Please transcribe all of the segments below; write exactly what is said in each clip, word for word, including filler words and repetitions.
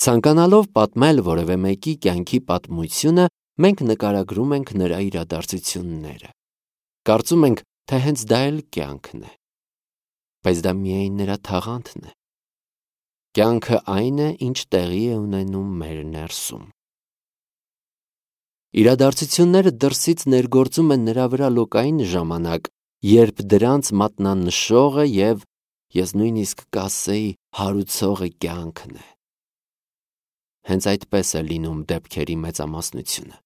Ցանկանալով պատմել որևէ մեկի կյանքի պատմությունը, մենք նկարագրում ենք նրա իրադարձությունները։ Կարծում ենք, թե հենց դա էլ կյանքն է, բայց դա միայն նրա թաղանթն է։ Կյանքը այն է, ինչ տեղի է ունենում մեր ներսում։ Իրադարձությունները դրսից ներգործում են նրա վրա լոկային ժամանակ, երբ դրանց մատնանշողը և, ես նույնիսկ կասեի, հարուցողը կյանքն է։ Հենց այդպես է լինում դեպքերի մեծամասնությունը։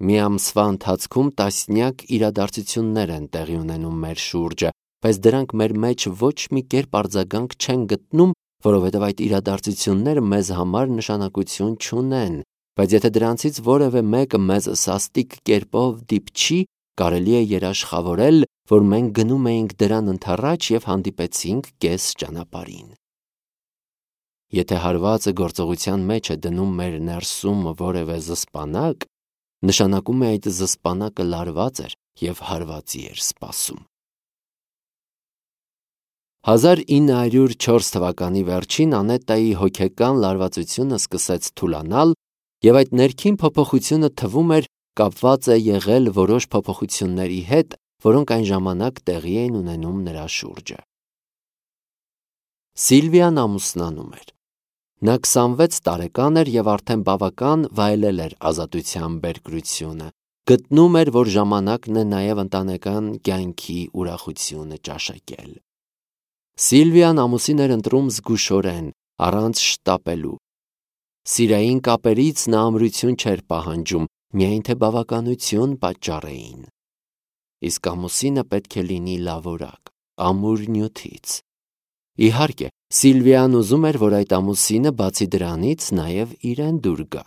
Մի ամսվա ընթացքում տասնյակ իրադարձություններ են տեղի ունենում մեր շուրջը, բայց դրանք մեր մեջ ոչ մի կերպ արձագանք չեն գտնում, որովհետև այդ իրադարձությունները մեզ համար նշանակություն չունեն, բայց եթե դրանցից որևէ մեկը մեզ սաստիկ կերպով դիպչի, կարելի է երաշխավորել, որ մենք գնում էինք դրան ընդառաջ և հանդիպեցինք կես ճանապարհին։ Եթե հարվածը գործողության մեջ է դնում մեր ներսում որևէ զսպանակ, նշանակում է այդ զսպանակը լարված էր և հարվածի էր սպասում։ հազար ինը հարյուր չորս թվականի վերջին Անետայի հոգեկան լարվածությունը սկսեց թուլանալ, և այդ ներքին փոփոխությունը թվում էր կապված է եղել որոշ փոփոխությունների հետ, որոնք այն ժամանակ տեղի էին ունենում նրա շուրջը։ Սիլվիան ամուսնանում էր։ Նա քսանվեց տարեկան էր և արդեն բավական վայելել էր ազատության բերկրությունը, գտնում էր, որ ժամանակն է նաև ընտանեկան կյանքի ուրախությունը ճաշակել։ Սիլվիան ամուսին էր ընտրում զգուշորեն, առանց շտապելու։ Սիրային կապերից նա ամրություն չէր պահանջում, միայն թե բավականություն պատճառեին։ Իսկ ամուսինը պետք է լինի լավորակ, ամուր նյութից։ Իհարկե, Սիլվիան ուզում էր, որ այդ ամուսինը բացի դրանից նաև իրեն դուր գա։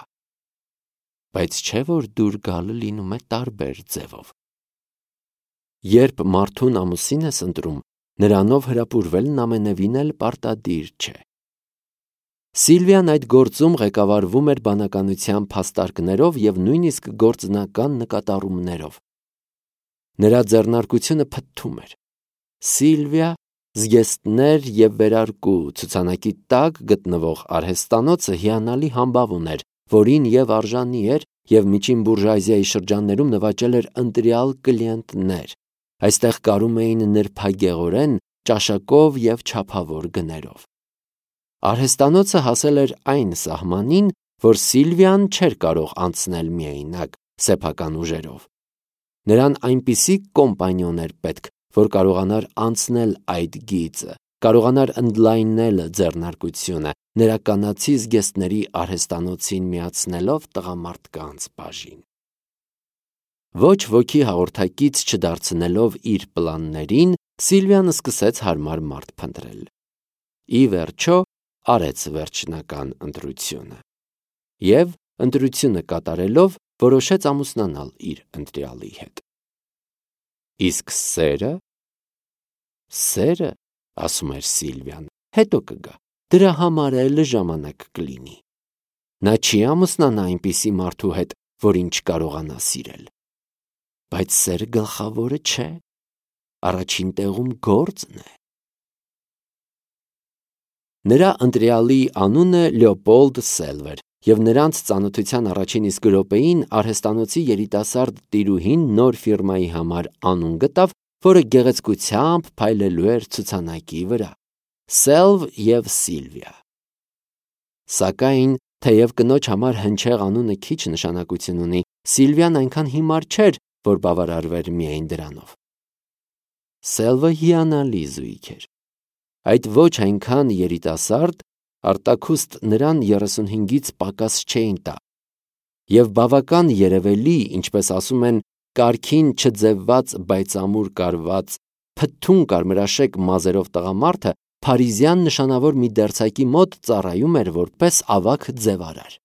Բայց չէ՞ որ դուր գալը լինում է տարբեր ձևով։ Երբ մարդուն ամուսին ես ընտրում, նրանով հրապուրվելն ամենևին էլ պարտադիր չէ։ Սիլվիան այդ գործում ղեկավարվում էր բանականության փաստարկներով և նույնիսկ գործնական նկատառումներով։ Նրա ձեռնարկությունը փթթում էր։ Սիլվիա, զգեստներ և վերարկու ցուցանակի տակ գտնվող արհեստանոցը հիանալի համբավ ուներ, որին և արժանի էր, և միջին բուրժուազիայի շրջաններում նվաճել էր ընտրյալ կլիենտներ։ Այստեղ կարում էին նրբագեղորեն, ճաշակով և չափավոր գներով։ Արհեստանոցը հասել էր այն սահմանին, որ Սիլվիան չէր կարող անցնել միայնակ, սեփական ուժերով։ Նրան այնպիսի կոմպանիոն էր պետք, որ կարողանար անցնել այդ գիծը, կարողանար ընդլայնել ձեռնարկությունը, նրա կանացի զգեստների արհեստանոցին միացնելով տղամարդկանց բաժին։ Ոչ ոքի հաղորդակից չդարձնելով իր պլաններին, Սիլվիան սկսեց հարմար մարդ փնտրել։ Ի վերջո, արեց վերջնական ընտրությունը։ Եվ ընտրությունը կատարելով, որոշեց ամուսնանալ իր ընտրյալի հետ։ Իսկ սերը… Սերը, ասում էր Սիլվիան, հետո կգա, դրա համար էլ ժամանակ կլինի։ Նա չի ամուսնանա այնպիսի մարդու հետ, որին չկարողանա սիրել։ Բայց սերը գլխավորը չէ, առաջին տեղում գործն է։ Նրա ընտրյալի անունը Լեոպոլդ Սելվ էր, և նրանց ծանոթության առաջին իսկ րոպեին արհեստանոցի երիտասարդ տիրուհին նոր ֆիրմայի համար անուն գտավ, որը գեղեցկությամբ փայլելու էր ցուցանակի վրա։ Սելվ և Սիլվիա։ Սակայն, թեև կնոջ համար հնչեղ անունը քիչ նշանակություն ունի, Սիլվիան այնքան հիմար չէր, որ բավարարվեր միայն դրանով։ Սելվը հիանալի զույգ էր։ Այդ ոչ այնքան երիտասարդ, արտաքուստ նրան երեսունհինգից պակաս չէին տա, և բավական երևելի, ինչպես ասում են, կարգին չձևված, բայց ամուր կարված, փթթուն կարմրաշեկ մազերով տղամարդը փարիզյան նշանավոր մի դերձակի մոտ ծառայում էր որպես ավագ ձևարար։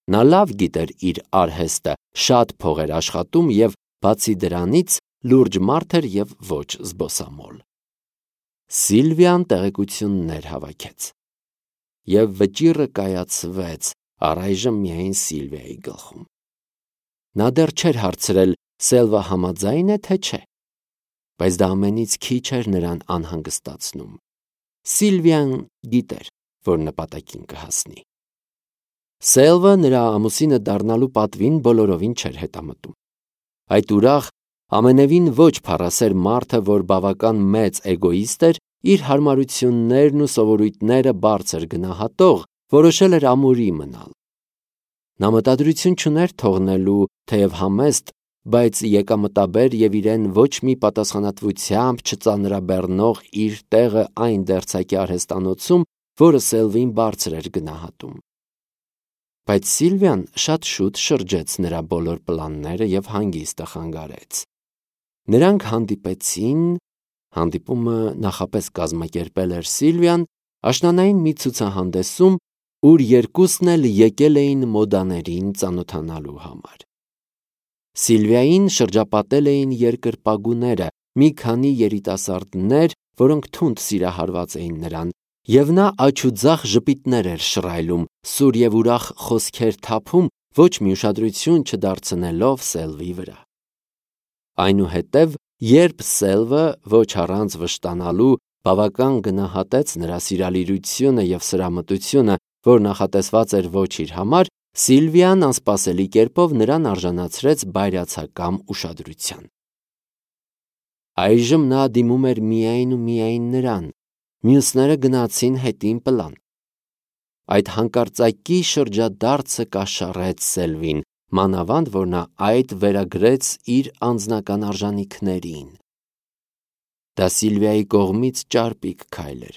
Նա լավ գիտեր իր արհեստը, շատ փող էր աշխատում և, բացի դրանից, լուրջ մարդ էր և ոչ զբոսամոլ։ Սիլվիան տեղեկություններ հավաքեց։ Եվ վճիռը կայացվեց, առայժմ միայն Սիլվիայի գլխում։ Նա դեռ չէր հարցրել Սելվը համաձայն է, թե չէ, բայց դա ամենից քիչ էր նրան անհանգստացնում։ Սիլվիան գիտեր, որ նպատակին կհասնի։ Սելվը նրա ամուսինը դառնալու պատվին բոլորովին չէր հետամտում։ Այդ ուրախ, ամենևին ոչ փառասեր մարդը, որ բավական մեծ էգոիստ էր, իր հարմարություններն ու սովորույթները բարձր գնահատող, որոշել էր ամուրի մնալ։ Նա մտադրություն չուներ թողնելու թեև համեստ, բայց եկամտաբեր եւ իրեն ոչ մի պատասխանատվությամբ չծանրաբեռնող իր տեղը այն դերձակի արհեստանոցում, որը Սելվին բարձր էր գնահատում։ Բայց Սիլվիան շատ շուտ շրջեց նրա բոլոր պլանները եւ հանգիստը խանգարեց։ Նրանք հանդիպեցին, հանդիպումը նախապես կազմակերպել էր Սիլվիան, աշնանային մի ցուցահանդեսում, ուր երկուսն էլ եկել էին մոդաներին ծանոթանալու համար։ Սիլվիային շրջապատել էին երկրպագուները, մի քանի երիտասարդներ, որոնք թունդ սիրահարված էին նրան, եւ նա աչուձախ ժպիտներ էր շռայլում, սուր եւ ուրախ խոսքեր թափում, ոչ մի ուշադրություն չդարձնելով Սելվի վրա։ Այնուհետև, երբ Սելվը ոչ առանց վշտանալու բավական գնահատեց նրա սիրալիրությունը եւ սրամտությունը, որ նախատեսված էր ոչ իր համար, Սիլվիան անսպասելի կերպով նրան արժանացրեց բայրացակամ ուշադրության։ Այժմ նա դիմում էր միայն ու միայն նրան, մյուսները գնացին հետին պլան։ Այդ հանկարծակի շրջադարձը կաշառեց Սելվին, մանավանդ որ նա այդ վերագրեց իր անձնական արժանիքներին։ Դա Սիլվիայի կողմից ճարպիկ քայլ էր,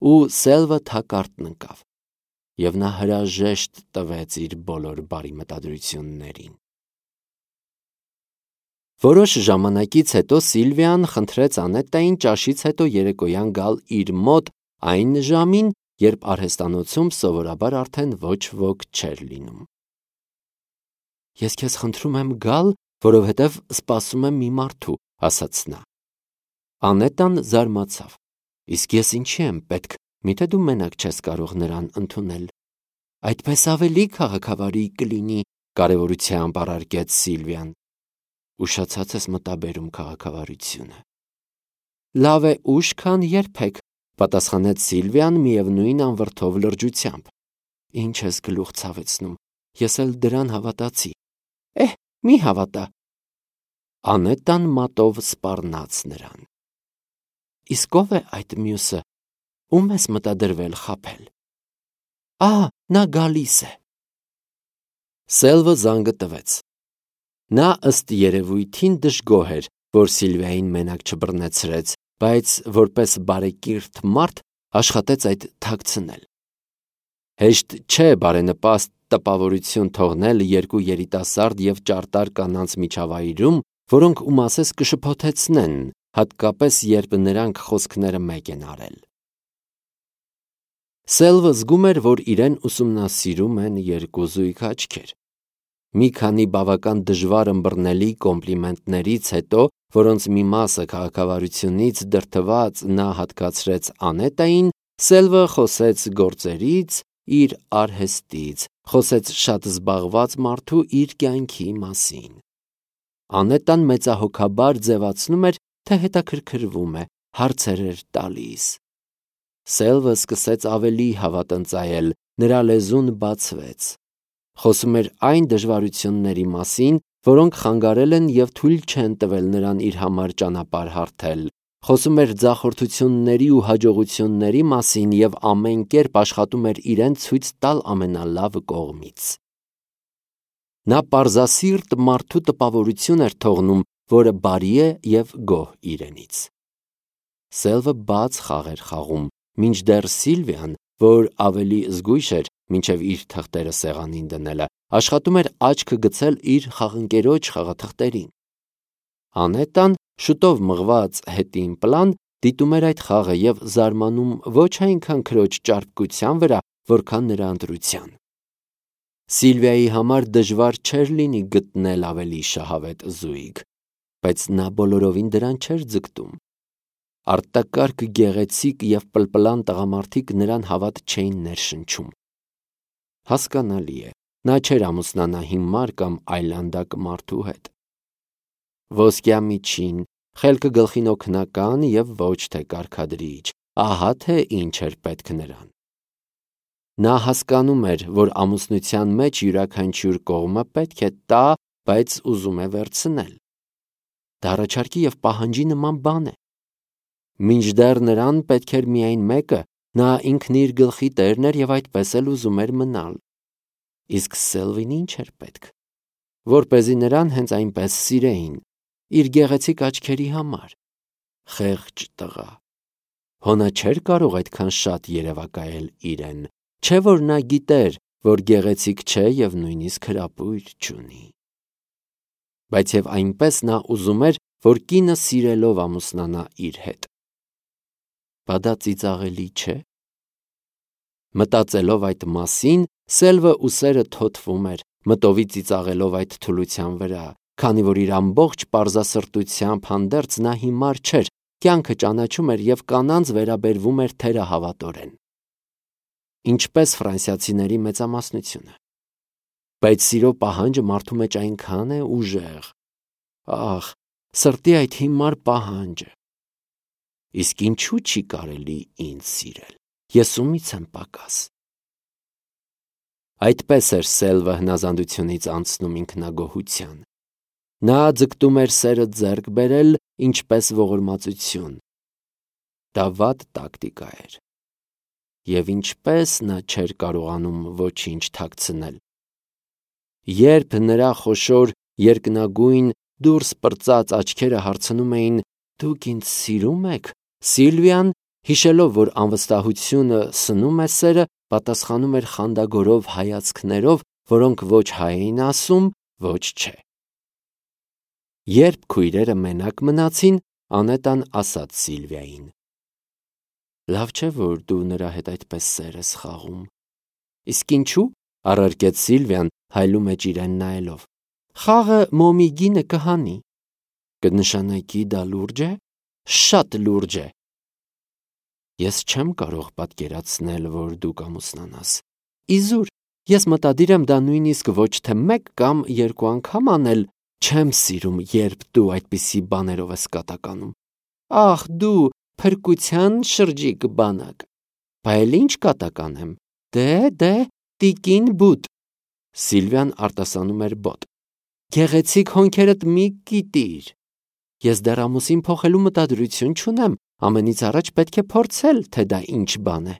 ու Սելվը թակարդն ընկավ, եւ նա հրաժեշտ տվեց իր բոլոր բարի մտադրություններին։ Որոշ ժամանակից հետո Սիլվիան խնդրեց Անետային ճաշից հետո երեկոյան գալ իր մոտ այն ժամին, երբ արհեստանոցում սովորաբար արդեն ոչ ոք չէր լինում։ Ես քեզ խնդրում եմ գալ, որովհետև սպասում եմ մի մարդու, ասաց նա։ Անետան զարմացավ։ Իսկ ես ինչի եմ պետք, միթե դու մենակ չես կարող նրան ընդունել։ Այդպես ավելի քաղաքավարի կլինի, կարևորությամբ առարկեց Սիլվիան։ Ուշացած ես մտաբերում քաղաքավարությունը։ Լավ է ուշ, քան երբեք, պատասխանեց Սիլվիան միևնույն անվրդով լրջությամբ։ Ինչ ես գլուխ ցավեցնում, ես էլ դրան հավատացի։ Էհ, մի հավատա։ Անետան մատով սպառնաց նրան։ Իսկ ով է այդ մյուսը, ում ես մտադրվել խաբել։ Ահա, նա գալիս է։ Սելվը զանգը տվեց։ Նա ըստ երևույթին դժգոհ էր, որ Սիլվիային մենակ չբռնեցրեց, բայց որպես բարեկիրթ մարդ աշխատեց այդ թաքցնել։ Հեշտ չէ բարենպաստ տպավորություն թողնել երկու երիտասարդ եւ ճարտար կանանց միջավայրում, որոնք ու մասես կշփոթեցնեն, հատկապես երբ նրանք խոսքները մեկ են արել։ Սելվը զգում էր, որ իրեն ուսումնասիրում են երկու զույգ աչքեր։ Մի քանի բավական դժվար ըմբռնելի կոմպլիմենտներից հետո, որոնց մի մասը քաղաքավարությունից դրդված նա հատկացրեց Անետային, Սելվը խոսեց գործերից, իր արհեստից, խոսեց շատ զբաղված մարդու իր կյանքի մասին։ Անետան մեծահոգաբար ձևացնում էր, թե հետաքրքրվում է, հարցեր էր տալիս։ Սելվը սկսեց ավելի հավատնծայել, նրա լեզուն բացվեց։ Խոսում էր այն դժվարությունների մասին, որոնք խանգարել են եւ թույլ չեն տվել նրան իր համար ճանապարհ հարթել։ Խոսում էր ձախորդությունների ու հաջողությունների մասին եւ ամեն կերպ աշխատում էր իրեն ցույց տալ ամենալավ կողմից։ Նա պարզասիրտ մարդու տպավորություն էր թողնում, որը բարի է եւ գոհ իրենից։ Սելվը բաց խաղ էր խաղում, մինչդեռ Սիլվիան, որ ավելի զգույշ էր, մինչև իր թղթերը սեղանին դնելը, աշխատում էր աչքը գցել իր խաղընկերոջ խաղաթղթերին։ Անետան, շուտով մղված հետին պլան, դիտում էր այդ խաղը եւ զարմանում ոչ այնքան քրոջ ճարպկության վրա, որքան նրա ընտրության։ Սիլվիայի համար դժվար չէր լինի գտնել ավելի շահավետ զույգ, բայց նա բոլորովին դրան չէր ձգտում։ Արտակարգ գեղեցիկ եւ պլպլան տղամարդիկ նրան հավատ չէին ներշնչում։ Հասկանալի է, նա չէր ամուսնանա հիմար կամ այլանդակ մարդու հետ։ Ոսկյա միջին, խելքը գլխին օգնական եւ ոչ թե կարգադրիչ, ահա թե ինչ էր պետք նրան։ Նա հասկանում էր, որ ամուսնության մեջ յուրաքանչյուր կողմը պետք է տա, բայց ուզում է վերցնել։ Դա առաջարկի և պահանջի նման բան է։ Մինչդեռ նրան պետք էր միայն մեկը, նա ինքն իր գլխի տերն էր և այդպես էլ ուզում էր մնալ։ Իսկ Սելվին ինչ էր պետք, որպեսզի նրան հենց այնպես սիրեին, իր գեղեցիկ աչքերի համար։ Խեղճ տղա։ Հոնա չէր կարող այդքան շատ երևակայել իրեն, չէ՞ որ նա գիտեր, որ գեղեցիկ չէ և նույնիսկ հրապույր չունի։ Բայց և այնպես նա ուզում էր, որ կինը սիրելով ամուսնանա իր հետ։ Բա դա ծիծաղելի չէ՞։ Մտածելով այդ մասին, Սելվը ուսերը թոթվում էր, մտովի ծիծաղելով այդ թուլության վրա, քանի որ իր ամբողջ պարզասրտությամբ հանդերձ նա հիմար չէր, կյանքը ճանաչում էր և կանանց վերաբերվում էր թերահավատորեն։ Ինչպես ֆրանսիացիների մեծամասնությունը։ Բայց սիրո պահանջը մարդու մեջ այնքան է ուժեղ։ Ախ, սրտի այդ հիմար պահանջը։ Իսկ ինչու չի կարելի ինձ սիրել։ Ես ումից եմ պակաս։ Այդպես էր Սելվը հնազանդությունից անցնում ինքնագոհության։ Նա ձգտում էր սերը ձեռք բերել, ինչպես ողորմածություն։ Դա վատ տակտիկա էր։ Եվ ինչպես նա չէր կարողանում ոչինչ թաքցնել։ Երբ նրա խոշոր, երկնագույն, դուրս պրծած աչքերը հարցնում էին. «Դուք ինձ սիրո՞ւմ եք», Սիլվիան, հիշելով, որ անվստահությունը սնում է սերը, պատասխանում էր խանդագորով հայացքներով, որոնք ոչ հայ էին ասում, ոչ չէ։ Երբ քույրերը մենակ մնացին, Անետան ասաց Սիլվիային. «Լավ չէ, որ դու նրա հետ այդպես սեր ես խաղում»։ Իսկ ինչու՞, առարկեց Սիլվիան, հայլու մեջ իրեն նայելով։ Խաղը մոմի գինը կհանի։ Կնշանակի դա լուրջ է։ Շատ լուրջ է։ Ես չեմ կարող պատկերացնել, որ դու կամուսնանաս։ Իզուր, ես մտադիր եմ դա նույնիսկ ոչ թե մեկ կամ երկու անգամ անել։ Չեմ սիրում, երբ դու այդպիսի բաներով ես կատականում։ Ախ, դու փրկության շրջիկ բանակ։ Բա էլ ինչ կատականեմ։ Դե, դե, տիկին բուտ։ Սիլվիան արտասանում էր բոտ։ Գեղեցիկ հոնքերդ մի կիտիր։ Ես դեռ ամուսին փոխելու մտադրություն չունեմ, ամենից առաջ պետք է փորձել, թե դա ինչ բան է։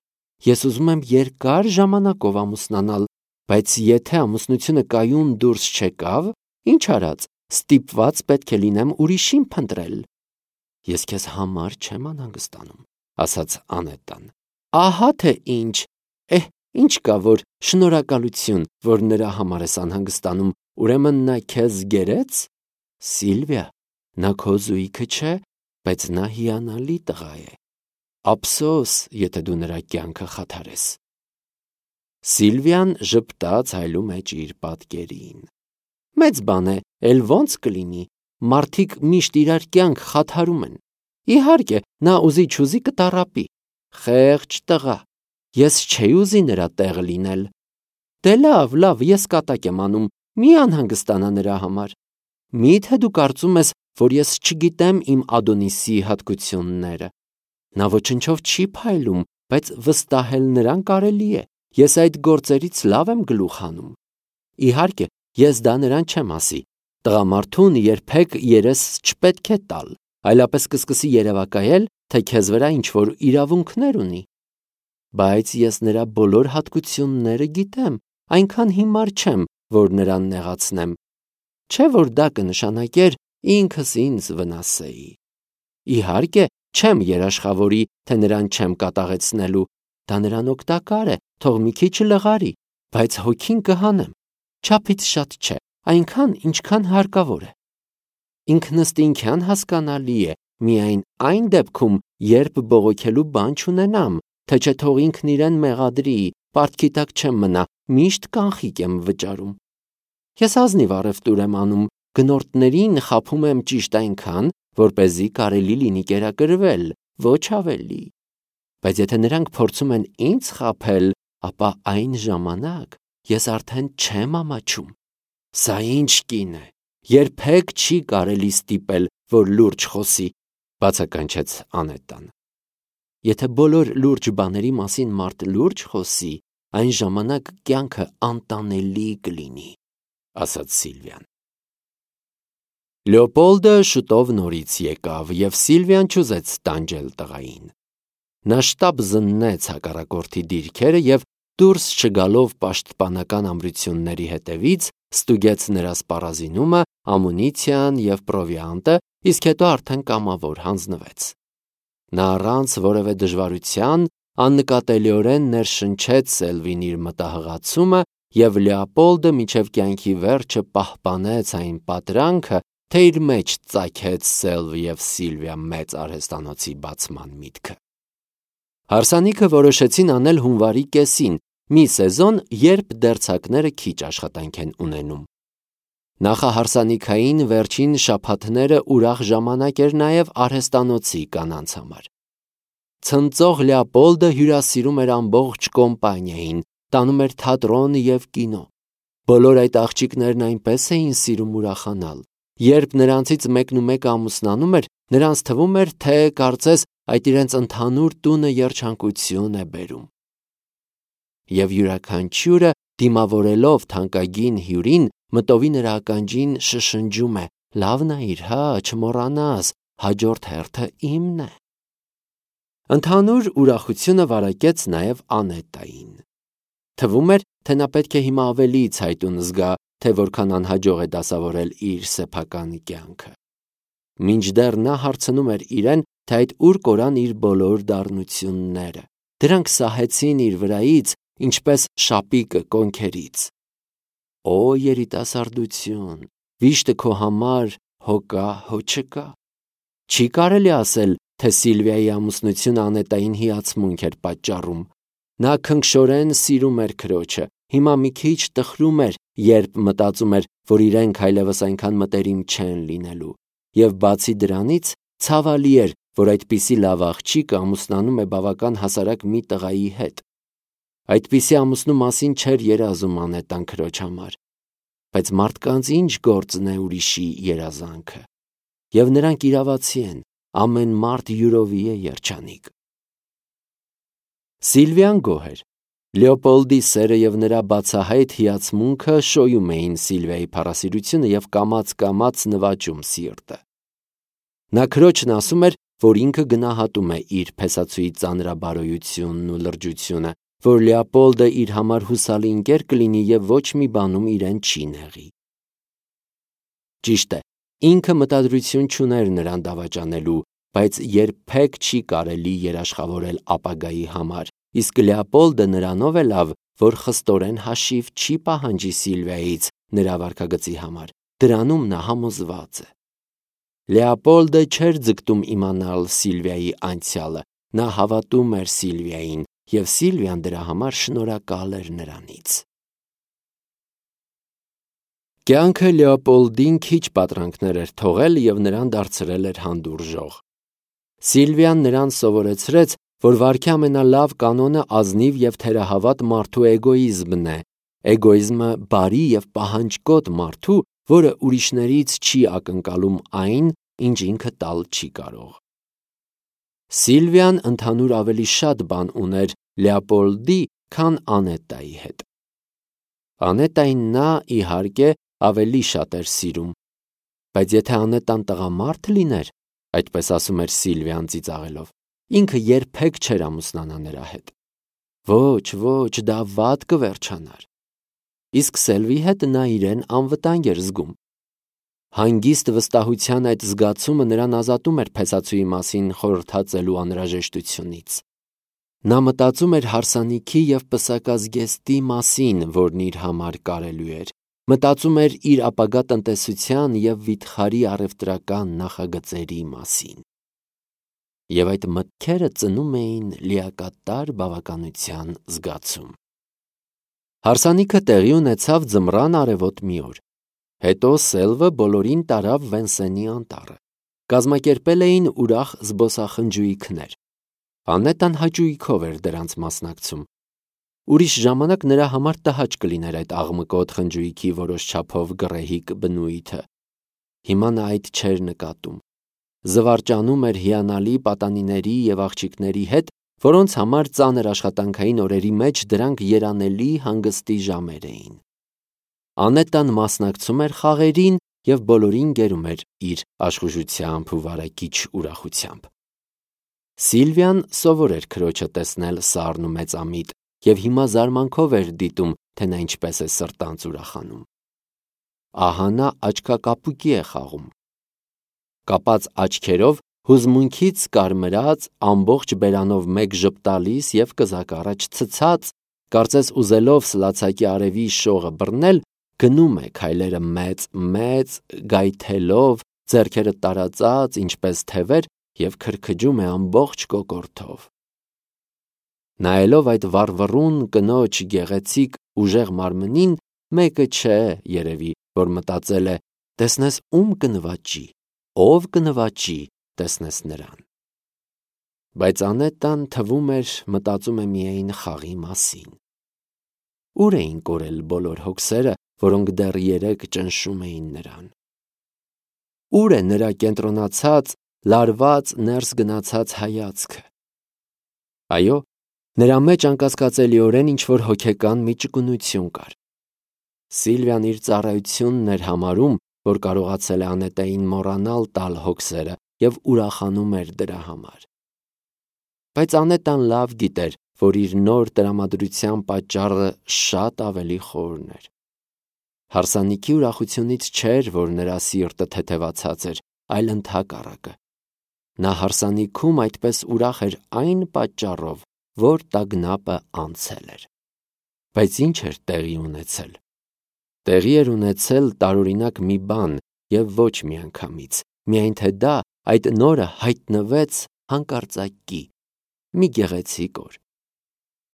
Ես ուզում եմ երկար ժամանակով ամուսնանալ, բայց եթե ամուսնությունը կայուն դուրս չեկավ, ինչ արած, ստիպված պետք է լինեմ ուրիշին փնտրել։ Ես քեզ համար չեմ անհանգստանում, ասաց Անետան։ Ահա թե ինչ։ Էհ, ինչ կա, որ շնորհակալություն, որ նրա համար ես անհանգստանում, ուրեմն նա քեզ գերեց։ Սիլվիա, նա քո զույգը չէ, բայց նա հիանալի տղա է։ Ափսոս, եթե դու նրա կյանքը խաթարես։ Սիլվիան ժպտաց հայլու մեջ իր պատկերին։ Մեծ բան է, էլ ոնց կլինի, մարդիկ միշտ իրար կյանք խաթարում են։ Իհարկե, նա ուզի չուզի կտառապի։ Խեղճ տղա, ես չէի ուզի նրա տեղը լինել։ Դե լավ, լավ, ես կատակ եմ անում, մի անհանգստանա նրա համար։ Մի՞թե դու կարծում ես, որ ես չգիտեմ իմ Ադոնիսի հատկությունները։ Նա ոչնչով չի փայլում, բայց վստահել նրան կարելի է։ Ես այդ գործերից լավ եմ գլուխ հանում։ Իհարկե, ես դա նրան չեմ ասի։ Տղամարդուն երբեք երես չպետք է տալ, այլապես կսկսի երևակայել, թե քեզ վրա ինչ-որ իրավունքներ ունի։ Բայց ես նրա բոլոր հատկությունները գիտեմ, այնքան հիմար չեմ, որ նրան նեղացնեմ։ Չէ՞ որ դա կնշանակեր ինքս ինձ վնասեի։ Իհարկե, չեմ երաշխավորի, թե նրան չեմ կատաղեցնելու։ Դա նրան օգտակար է, թող մի քիչ լղարի, բայց հոգին կհանեմ։ Չափից շատ չէ, այնքան, ինչքան հարկավոր է։ Ինքնըստինքյան հասկանալի է, միայն այն դեպքում, երբ բողոքելու բան չունենամ, թե չէ թող ինքն իրեն մեղադրի, պարտքի տակ չեմ մնա, միշտ կանխիկ եմ վճարում։ Ես ազնիվ առևտուր եմ անում, գնորդներին խաբում եմ ճիշտ այնքան, որպեսզի կարելի լինի կերակրվել, ոչ ավելի։ Բայց եթե նրանք փորձում են ինձ խաբել, ապա այն ժամանակ ես արդեն չեմ ամաչում։ Սա ինչ կին է, երբեք չի կարելի ստիպել, որ լուրջ խոսի, բացականչեց Անետան։ Եթե բոլոր լուրջ բաների մասին մարդ լուրջ խոսի, այն ժամանակ կյանքը անտանելի կլինի, ասաց Սիլվիան։ Լեոպոլդը շուտով նորից եկավ, և Սիլվիան չուզեց տանջել տղային։ Նա շտապ զննեց հակառակորդի դիրքերը և դուրս չգալով պաշտպանական ամրությունների հետևից, ստուգեց նրա սպառազինումը, ամունիցիան և պրովիանտը, իսկ հետո արդեն կամավոր հանձնվեց։ Նա առանց որևէ դժվարության աննկատելիորեն ներշնչեց Սելվին իր մտահղացումը, և Լեոպոլդը մինչև կյանքի վերջը պահպանեց այն պատրանքը, թե իր մեջ ծագեց Սելվի և Սիլվիա մեծ արհեստանոցի բացման միտքը։ Հարսանիքը որոշեցին անել հունվարի կեսին, մի սեզոն, երբ դերձակները քիչ աշխատանք են ունենում։ Նախահարսանիքային վերջին շաբաթները ուրախ ժամանակ էր նաև արհեստանոցի կանանց համար։ Ցնծող Լեոպոլդը հյուրասիրում էր ամբողջ կոմպանիային, տանում էր թատրոն և կինո։ Բոլոր այդ աղջիկներն այնպես էին սիրում ուրախանալ։ Երբ նրանցից մեկնումեկը ամուսնանում էր, նրանց թվում էր, թե կարծես այդ իրենց ընդհանուր տունը երջանկություն է բերում։ Եվ յուրաքանչյուրը, դիմավորելով թանկագին հյուրին, մտովի նրա ականջին շշնջում է. «Լավ նայիր, հա, չմոռանաս, հաջորդ հերթը իմն է»։ Ընդհանուր ուրախությունը վարակեց նաև Անետային։ Թվում էր, թե նա պետք է հիմա ավելի ցայտուն զգա, թե որքան անհաջող է դասավորել իր սեփական կյանքը։ Մինչդեռ նա հարցնում էր իրեն, թե այդ ուր կորան իր բոլոր դառնությունները։ Դրանք սահեցին իր վրայից, ինչպես շապիկը կոնքերից։ Օ երիտասարդություն, վիշտը քո համար հո կա, հո չկա։ Չի կարելի ասել, թե Սիլվիայի ամուսնությունը Անետային հիացմունք էր պատճառում։ Նա քնքշորեն սիրում էր քրոջը, հիմա մի քիչ տխրում էր, երբ մտածում էր, որ իրենք այլևս այնքան մտերիմ չեն լինելու։ Եվ բացի դրանից, ցավալի էր, որ այդպիսի լավ աղջիկը ամուսնանում է բավական հասարակ մի տղայի հետ։ Այդպիսի ամուսնու մասին չէր երազում Անետան քրոջ համար։ Բայց մարդկանց ինչ գործն է ուրիշի երազանքը։ Եվ նրանք իրավացի են, ամեն մարդ յուրովի է երջանիկ։ Սիլվիան գոհ էր։ Լեոպոլդի սերը և նրա բացահայտ հիացմունքը շոյում էին Սիլվիայի փառասիրությունը և կամաց-կամաց նվաճում սիրտը։ Նա քրոջն ասում էր, որ ինքը գնահատում է իր փեսացուի ծանրաբարոյությունն ու լրջությունը, որ Լեոպոլդը իր համար հուսալի ընկեր կլինի և ոչ մի բանում իրեն չի նեղի։ Ճիշտ է, ինքը մտադրություն չուներ նրան դավաճանելու, բայց երբեք չի կարելի երաշխավորել ապագայի համար, իսկ Լեոպոլդը նրանով է լավ, որ խստորեն հաշիվ չի պահանջի Սիլվիայից նրա վարքագծի համար, դրանում նա համոզված է։ Լեոպոլդը չէր ձգտում իմանալ Սիլվիայի անցյալը, նա հավատում էր Սիլվիային, և Սիլվիան դրա համար շնորհակալ էր նրանից։ Կյանքը Լեոպոլդին քիչ պատրանքներ էր թողել և նրան դարձրել էր հանդուրժող։ Սիլվիան նրան սովորեցրեց, որ վարքի ամենալավ կանոնը ազնիվ և թերահավատ մարդու էգոիզմն է, էգոիզմը բարի և պահանջկոտ մարդու, որը ուրիշներից չի ակնկալում այն, ինչ ինքը տալ չի կարող։ Սիլվիան ընդհանուր ավելի շատ բան ուներ Լեոպոլդի, քան Անետայի հետ։ Անետային նա, իհարկե, ավելի շատ էր սիրում, բայց եթե Անետան տղամարդ լիներ, այդպես ասում էր Սիլվիան ծիծաղելով, ինքը երբեք չէր ամուսնանա նրա հետ։ Ոչ, ոչ, դա վատ կվերջանար։ Իսկ Սելվի հետ նա իրեն անվտանգ էր զգում։ Հանգիստ վստահության այդ զգացումը նրան ազատում էր փեսացուի մասին խորհրդածելու անհրաժեշտությունից։ Նա մտածում էր հարսանիքի և պսակազգեստի մասին, որն իր համար կարելի էր, մտածում էր իր ապագա տնտեսության և վիթխարի առևտրական նախագծերի մասին։ Եվ այդ մտքերը ծնում էին լիակատար բավականության զգացում։ Հարսանիքը տեղի ունեցավ ձմռան արևոտ մի օր։ Հետո Սելվը բոլորին տարավ Վենսենի անտառը։ Կազմակերպել էին ուրախ զբոսախնջույքներ։ Անետան հաճույքով էր դրանց մասնակցում։ Ուրիշ ժամանակ նրա համար տհաճ կլիներ այդ աղմկոտ խնջույքի որոշ չափով գռեհիկ բնույթը։ Հիմա նա այդ չէր նկատում։ Զվարճանում էր հիանալի պատանիների և աղջիկների հետ, որոնց համար ծանր աշխատանքային օրերի մեջ դրանք երանելի հանգստի ժամեր էին։ Անետան մասնակցում էր խաղերին և բոլորին գերում էր իր աշխուժությամբ ու վարակիչ ուրախությամբ։ Սիլվիան սովոր էր քրոջը տեսնել սառն ու մեծամիտ և հիմա զարմանքով էր դիտում, թե նա ինչպես է սրտանց ուրախանում։ Ահա նա աչքակապուկի է խաղում։ Կապած աչքերով, հուզմունքից կարմրած, ամբողջ բերանով մեկ ժպտալիս և կզակ առաջ ցցած, կարծես ուզելով սլացակի արևի շողը բռնել, գնում է քայլերը մեծ-մեծ, գայթելով, ձեռքերը տարածած, ինչպես թևեր, և քրքջում է ամբողջ կոկորդով։ Նայելով այդ վառվռուն կնոջ գեղեցիկ ուժեղ մարմնին, մեկը չէ, երևի, որ մտածել է. տեսնես ում կնվաճի, ով կնվաճի, տեսնես նրան։ Բայց Անետան, թվում էր, մտածում է միայն խաղի մասին։ Ուր էին կորել բոլոր հոգսերը, որոնք դեռ երեկ ճնշում էին նրան։ Ուր է նրա կենտրոնացած, լարված, ներս գնացած հայացքը։ Այո, նրա մեջ անկասկածելիորեն ինչ-որ հոգեկան մի ճկունություն կար։ Սիլվիան իր ծառայությունն էր համարում, որ կարողացել է Անետային մոռանալ տալ հոգսերը և ուրախանում էր դրա համար։ Բայց Անետան լավ գիտեր, որ իր նոր տրամադրության պատճառը շատ ավելի խորն էր։ Հարսանիքի ուրախությունից չէր, որ նրա սիրտը թեթևացած էր, այլ ընդհակառակը։ Նա հարսանիքում այդպես ուրախ էր այն պատճառով, որ տագնապը անցել էր։ Բայց ինչ էր տեղի ունեցել։ Տեղի էր ունեցել տարօրինակ մի բան և ոչ միանգամից, միայն թե դա այդ նորը հայտնվեց հանկարծակի, մի գեղեցիկ օր։